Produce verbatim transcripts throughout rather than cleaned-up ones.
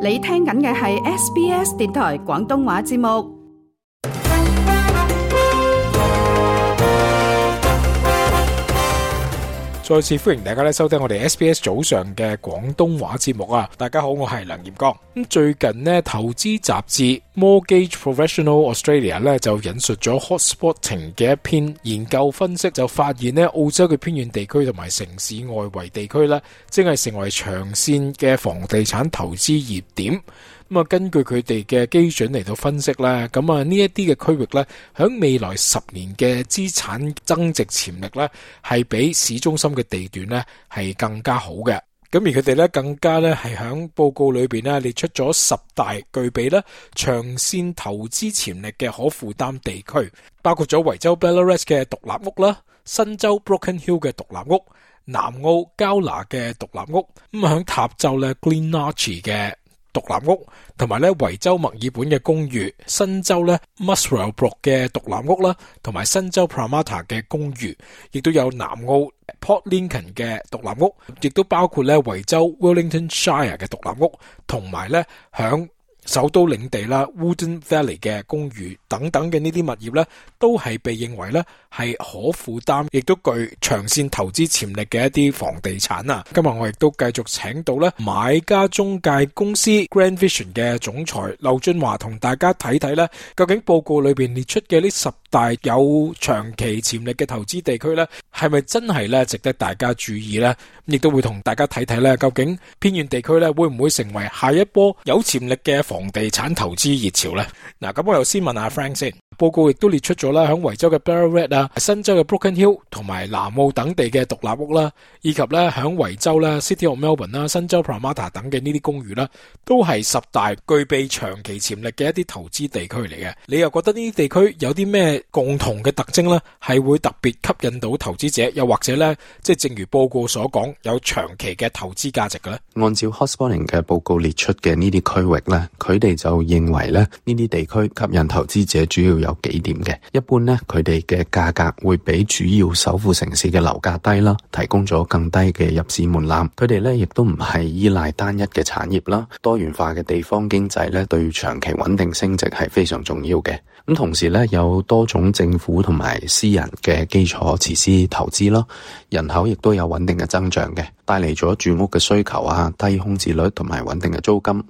你聽緊嘅係 S B S 電台廣東話節目。再次歡迎大家咧收聽我哋 S B S 早上嘅廣東話節目啊！大家好，我係梁炎光。咁最近呢，投資雜誌 Mortgage Professional Australia 咧就引述咗 Hotspotting 嘅一篇研究分析，就發現呢，澳洲嘅偏遠地區同埋城市外圍地區咧，正係成為長線嘅房地產投資熱點。咁啊，根據佢哋嘅基準嚟到分析咧，咁啊呢一啲嘅區域咧，響未來十年嘅資產增值潛力咧，係比市中心嘅地段咧係更加好嘅。咁而佢哋咧更加咧係響報告裏邊咧列出咗十大具備咧長線投資潛力嘅可負擔地區，包括咗維州 Ballarat 嘅獨立屋啦，新州 Broken Hill 嘅獨立屋，南澳交拿嘅獨立屋，咁響塔州咧 Glenorchy 嘅獨立屋，同埋咧維州墨爾本嘅公寓，新州咧 Muswellbrook 嘅獨立屋啦，同埋新州 Parramatta 嘅公寓，亦都有南澳 Port Lincoln 嘅獨立屋，亦都包括咧維州 Wellington Shire 嘅獨立屋，同埋咧響首都領地啦 Wooden Valley 嘅公寓等等嘅呢啲物業咧，都係被認為咧係可負擔，亦都具長線投資潛力嘅一啲房地產啊！今日我亦都繼續請到咧買家中介公司 Grand Vision 嘅總裁劉俊華，同大家睇睇咧，究竟報告裏邊列出嘅呢十大有長期潛力嘅投資地區咧，係咪真係咧值得大家注意咧？亦都會同大家睇睇咧，究竟偏遠地區咧會唔會成為下一波有潛力嘅房地產投資熱潮咧？嗱，咁我又先問下 Frank 先。報告亦都列出咗啦，響維州嘅 Ballarat 啊、新州嘅 Broken Hill 同埋南澳等地嘅獨立屋啦，以及咧響維州啦、City of Melbourne 啦、新州 Parramatta 等嘅呢啲公寓啦，都係十大具備長期潛力嘅一啲投資地區嚟嘅。你又覺得呢啲地區有啲咩共同嘅特徵呢？係會特別吸引到投資者，又或者呢，即係正如報告所講，有長期嘅投資價值嘅呢？按照 Hotspotting 嘅報告列出嘅呢啲區域呢，佢哋就認為呢，呢啲地區吸引投資者主要有幾點嘅。一般呢，佢哋嘅價格會比主要首府城市嘅樓價低啦，提供咗更低嘅入市門檻。佢哋呢亦都唔係依賴單一嘅產業啦，多元化嘅地方經濟呢對長期穩定升值係非常重要嘅。咁同時呢，有多種政府同埋私人嘅基礎設施投資啦，人口亦都有穩定嘅增長嘅，帶嚟咗住屋嘅需求啊、低空置率同埋穩定嘅租金。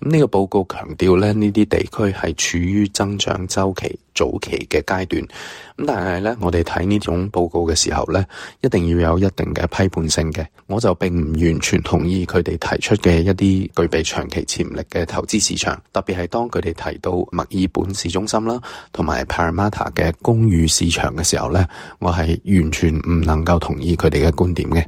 咁呢個報告強調咧，呢啲地區係處於增長週期早期嘅階段。咁但係咧，我哋睇呢種報告嘅時候咧，一定要有一定嘅批判性嘅。我就並唔完全同意佢哋提出嘅一啲具備長期潛力嘅投資市場，特別係當佢哋提到墨爾本市中心啦，同埋 Parramatta 嘅公寓市場嘅時候咧，我係完全唔能夠同意佢哋嘅觀點嘅。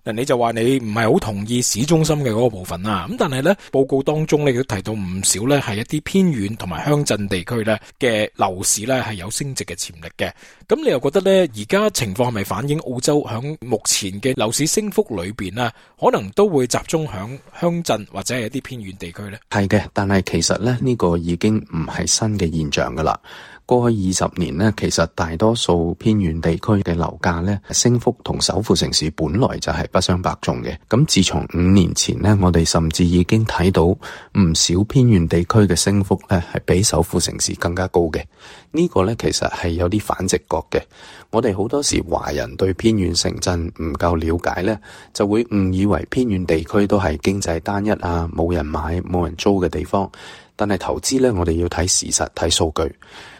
嗱，你就話你唔係好同意市中心嘅嗰個部分啦，咁但係咧報告當中你都提到唔少咧係一啲偏遠同埋鄉鎮地區咧嘅樓市咧係有升值嘅潛力嘅，咁你又覺得咧而家情況係咪反映澳洲響目前嘅樓市升幅裏邊啊，可能都會集中響鄉鎮或者係一啲偏遠地區咧？係嘅，但係其實咧呢個已經唔係新嘅現象噶啦。過去二十年呢，其實大多數偏遠地區嘅樓價呢，升幅同首府城市本來就係不相伯仲嘅。咁自從五年前呢，我哋甚至已經睇到唔少偏遠地區嘅升幅呢，係比首府城市更加高嘅。呢個呢，其實係有啲反直覺嘅。我哋好多時華人對偏遠城鎮唔夠了解呢，就會誤以為偏遠地區都係經濟單一啊，冇人買冇人租嘅地方。但係投資呢，我哋要睇事實睇數據。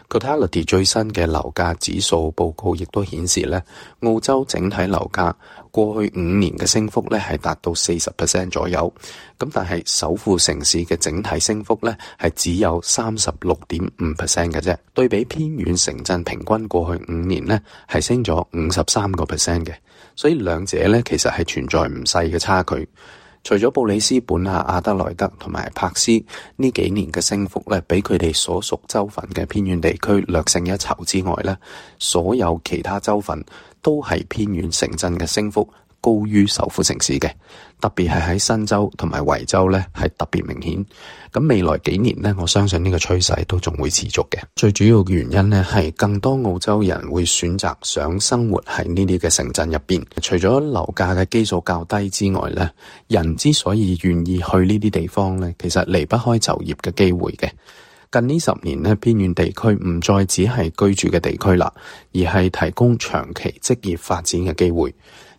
Cotality 最新嘅樓價指數報告亦都顯示咧，澳洲整體樓價過去五年嘅升幅咧係達到四十 percent 左右，咁但係首府城市嘅整體升幅咧係只有三十六點五 percent 嘅啫。對比偏遠城鎮平均過去五年咧係升咗五十三個 percent 嘅，所以兩者咧其實係存在唔細嘅差距。除咗布里斯本啊、阿德萊德同埋柏斯呢幾年嘅升幅咧，比佢哋所屬州份嘅偏遠地區略勝一籌之外咧，所有其他州份都係偏遠城鎮嘅升幅高於首府城市嘅，特別係喺新州同埋維州咧係特別明顯。咁未來幾年咧，我相信呢個趨勢都仲會持續嘅。最主要嘅原因咧係更多澳洲人會選擇想生活喺呢啲嘅城鎮入邊。除咗樓價嘅基數較低之外咧，人之所以願意去呢啲地方咧，其實離不開就業嘅機會嘅。近呢十年咧，偏遠地區唔再只係居住嘅地區啦，而係提供長期職業發展嘅機會。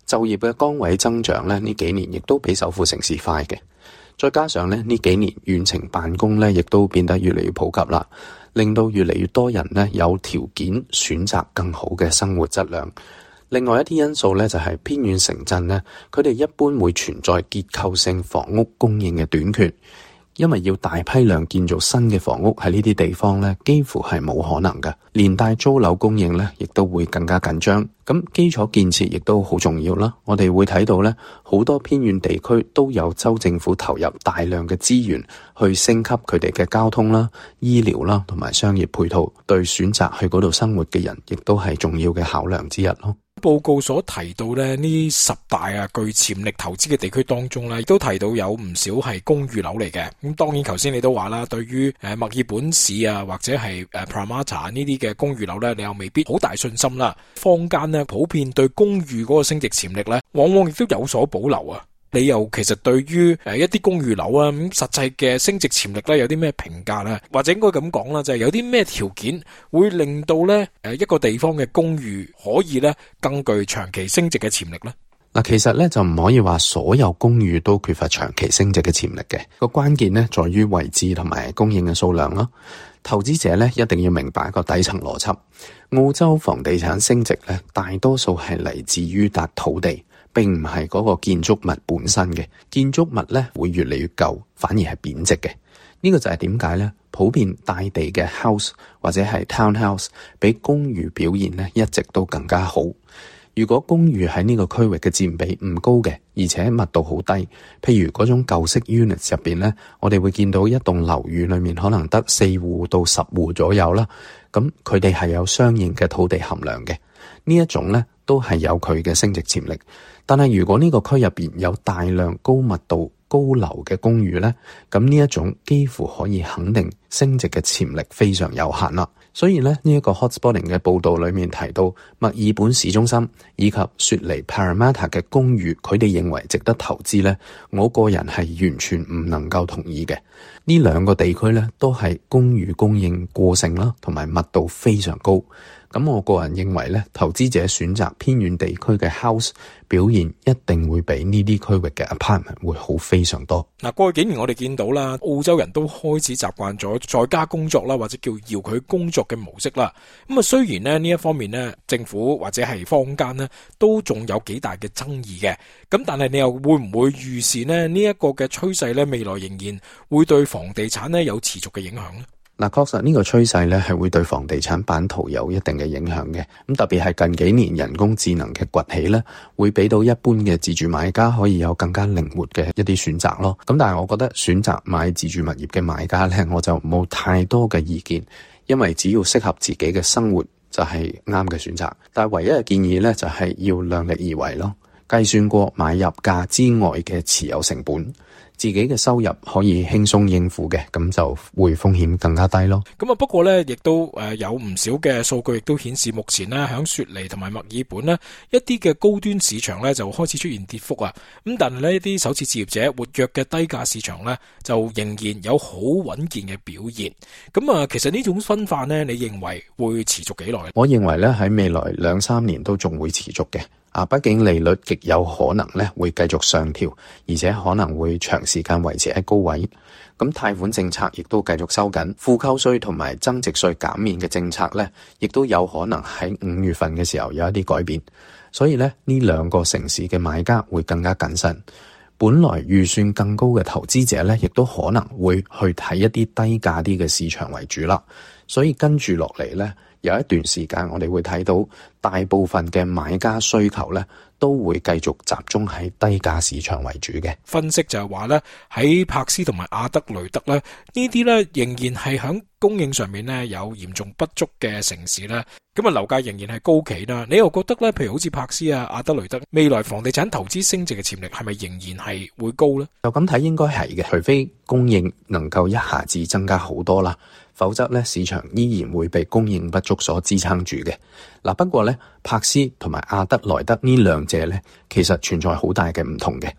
就業嘅崗位增長咧，呢幾年亦都比首府城市快嘅。再加上咧，呢幾年遠程辦公咧，亦都變得越嚟越普及啦，令到越嚟越多人咧有條件選擇更好嘅生活質量。另外一啲因素咧，就係偏遠城鎮咧，佢哋一般會存在結構性房屋供應嘅短缺。因為要大批量建造新嘅房屋喺呢啲地方咧，幾乎係冇可能嘅，連帶租樓供應咧，亦都會更加緊張。咁基礎建設亦都好重要啦。我哋會睇到咧，好多偏遠地區都有州政府投入大量嘅資源去升級佢哋嘅交通啦、醫療啦同埋商業配套，對選擇去嗰度生活嘅人，亦都係重要嘅考量之一咯。報告所提到咧，呢十大啊具潛力投資嘅地區當中咧，亦都提到有唔少係公寓樓嚟嘅。咁當然頭先你都話啦，對於誒墨爾本市啊或者係誒 Parramatta 呢啲嘅公寓樓咧，你又未必好大信心啦。坊間咧普遍對公寓嗰個升值潛力咧，往往亦都有所保留啊。你又其實對於誒一啲公寓樓啊咁實際嘅升值潛力咧有啲咩評價咧？或者應該咁講啦，就係有啲咩條件會令到咧誒一個地方嘅公寓可以咧更具長期升值嘅潛力咧？嗱，其實咧就唔可以話所有公寓都缺乏長期升值嘅潛力嘅。個關鍵咧在於位置同埋供應嘅數量咯。投資者咧一定要明白一個底層邏輯。澳洲房地產升值咧，大多數係嚟自於笪土地，並唔係嗰個建築物本身嘅。建築物咧會越嚟越舊，反而係貶值嘅。呢個就係點解咧？普遍大地嘅 house 或者係 townhouse 比公寓表現咧一直都更加好。如果公寓喺呢個區域嘅佔比唔高嘅，而且密度好低，譬如嗰種舊式 units 入邊咧，我哋會見到一棟樓宇裏面可能得四戶到十戶左右啦。咁佢哋係有相應嘅土地含量嘅，呢一種咧都係有佢嘅升值潛力。但係如果呢個區入邊有大量高密度高樓嘅公寓咧，咁呢一種幾乎可以肯定升值嘅潛力非常有限啦。所以咧呢一個 hotspotting 嘅報道裏面提到墨爾本市中心以及雪梨 Parramatta 嘅公寓，佢哋認為值得投資咧，我個人係完全唔能夠同意嘅。呢兩個地區咧都係公寓供應過剩啦，同埋密度非常高。咁我個人認為咧，投資者選擇偏遠地區嘅 house 表現一定會比呢啲區域嘅 apartment 會好非常多。嗱，過去幾年我哋見到啦，澳洲人都開始習慣咗在家工作啦，或者叫遙距工作嘅模式啦。咁啊，雖然咧呢一方面咧，政府或者係坊間咧都仲有幾大嘅爭議嘅。咁但係你又會唔會預示咧呢一個嘅趨勢咧，未來仍然會對房地產咧有持續嘅影響咧？嗱，確實呢個趨勢咧係會對房地產版圖有一定嘅影響嘅。咁特別係近幾年人工智能嘅崛起咧，會俾到一般嘅自住買家可以有更加靈活嘅一啲選擇咯。咁但係我覺得選擇買自住物業嘅買家咧，我就冇太多嘅意見，因為只要適合自己嘅生活就係啱嘅選擇。但係唯一嘅建議咧就係要量力而為咯，計算過買入價之外嘅持有成本，自己嘅收入可以輕鬆應付嘅，咁就會風險更加低咯。咁啊，不過咧，亦都誒有唔少嘅數據亦都顯示，目前咧響雪梨同埋墨爾本咧，一啲嘅高端市場咧就開始出現跌幅啊。咁但係呢，一啲首次置業者活躍嘅低價市場咧，就仍然有好穩健嘅表現。咁啊，其實呢種分化咧，你認為會持續幾耐？我認為咧喺未來兩三年都仲會持續嘅。啊，畢竟利率極有可能咧會繼續上調，而且可能會長時間維持喺高位。咁貸款政策亦都繼續收緊，負扣稅同埋增值稅減免嘅政策咧，亦都有可能喺五月份嘅時候有一啲改變。所以咧，呢兩個城市嘅買家會更加謹慎。本來預算更高嘅投資者咧，亦都可能會去睇一啲低價啲嘅市場為主啦。所以跟住落嚟咧，有一段時間我哋會睇到大部分嘅買家需求咧，都會繼續集中喺低價市場為主嘅。分析就係話咧，喺柏斯同埋阿德雷德咧，呢啲咧仍然係響供應上面咧有嚴重不足嘅城市咧，咁啊樓價仍然係高企啦。你又覺得咧，譬如好似柏斯啊、阿德雷德，未來房地產投資升值嘅潛力係咪仍然係會高呢？就咁睇應該係嘅，除非供應能夠一下子增加好多啦，否則咧市場依然會被供應不足所支撐住嘅。嗱，不過咧柏斯同埋阿德萊德呢兩者咧，其實存在好大嘅唔同嘅。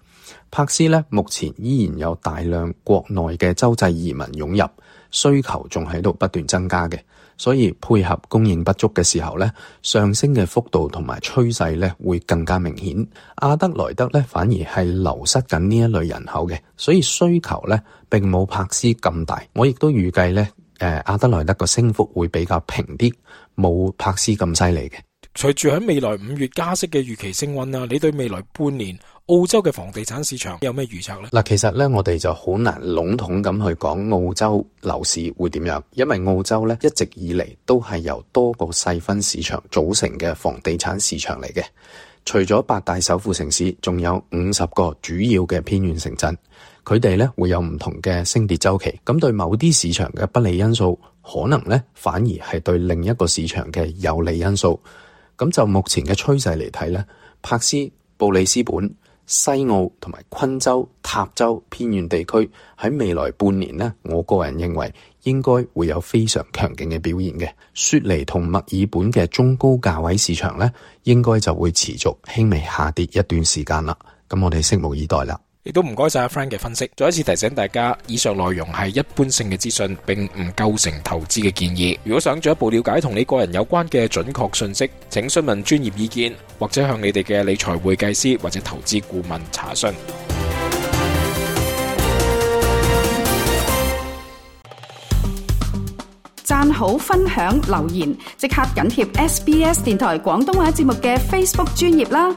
柏斯咧目前依然有大量國內嘅洲際移民湧入，需求仲喺度不斷增加嘅，所以配合供應不足嘅時候咧，上升嘅幅度同埋趨勢咧會更加明顯。阿德萊德咧反而係流失緊呢一類人口嘅，所以需求咧並冇柏斯咁大。我亦都預計咧，誒阿德萊德個升幅會比較平啲，冇柏斯咁犀利嘅。隨住喺未來五月加息嘅預期升溫啦，你對未來半年澳洲嘅房地產市場有咩預測呢？嗱，其實咧我哋就好難籠統咁去講澳洲樓市會點樣，因為澳洲咧一直以嚟都係由多個細分市場組成嘅房地產市場嚟嘅。除咗八大首府城市，仲有五十個主要嘅偏遠城鎮，佢哋咧會有唔同嘅升跌週期。咁對某啲市場嘅不利因素，可能咧反而係對另一個市場嘅有利因素。咁就目前嘅趨勢嚟睇咧，柏斯、布里斯本、西澳同埋昆州、塔州偏遠地區喺未來半年呢，我個人認為應該會有非常強勁嘅表現嘅。雪梨同墨爾本嘅中高價位市場呢，應該就會持續輕微下跌一段時間啦。咁我哋拭目以待啦。亦都唔該晒阿 Frank 嘅分析。再一次提醒大家，以上內容係一般性嘅資訊，並唔構成投資嘅建議。如果想進一步了解同你個人有關嘅準確信息，請詢問專業意見，或者向你哋嘅理財會計師或者投資顧問查詢。讚好、分享、留言，即刻緊貼 S B S 電台廣東話節目嘅 Facebook 專頁啦！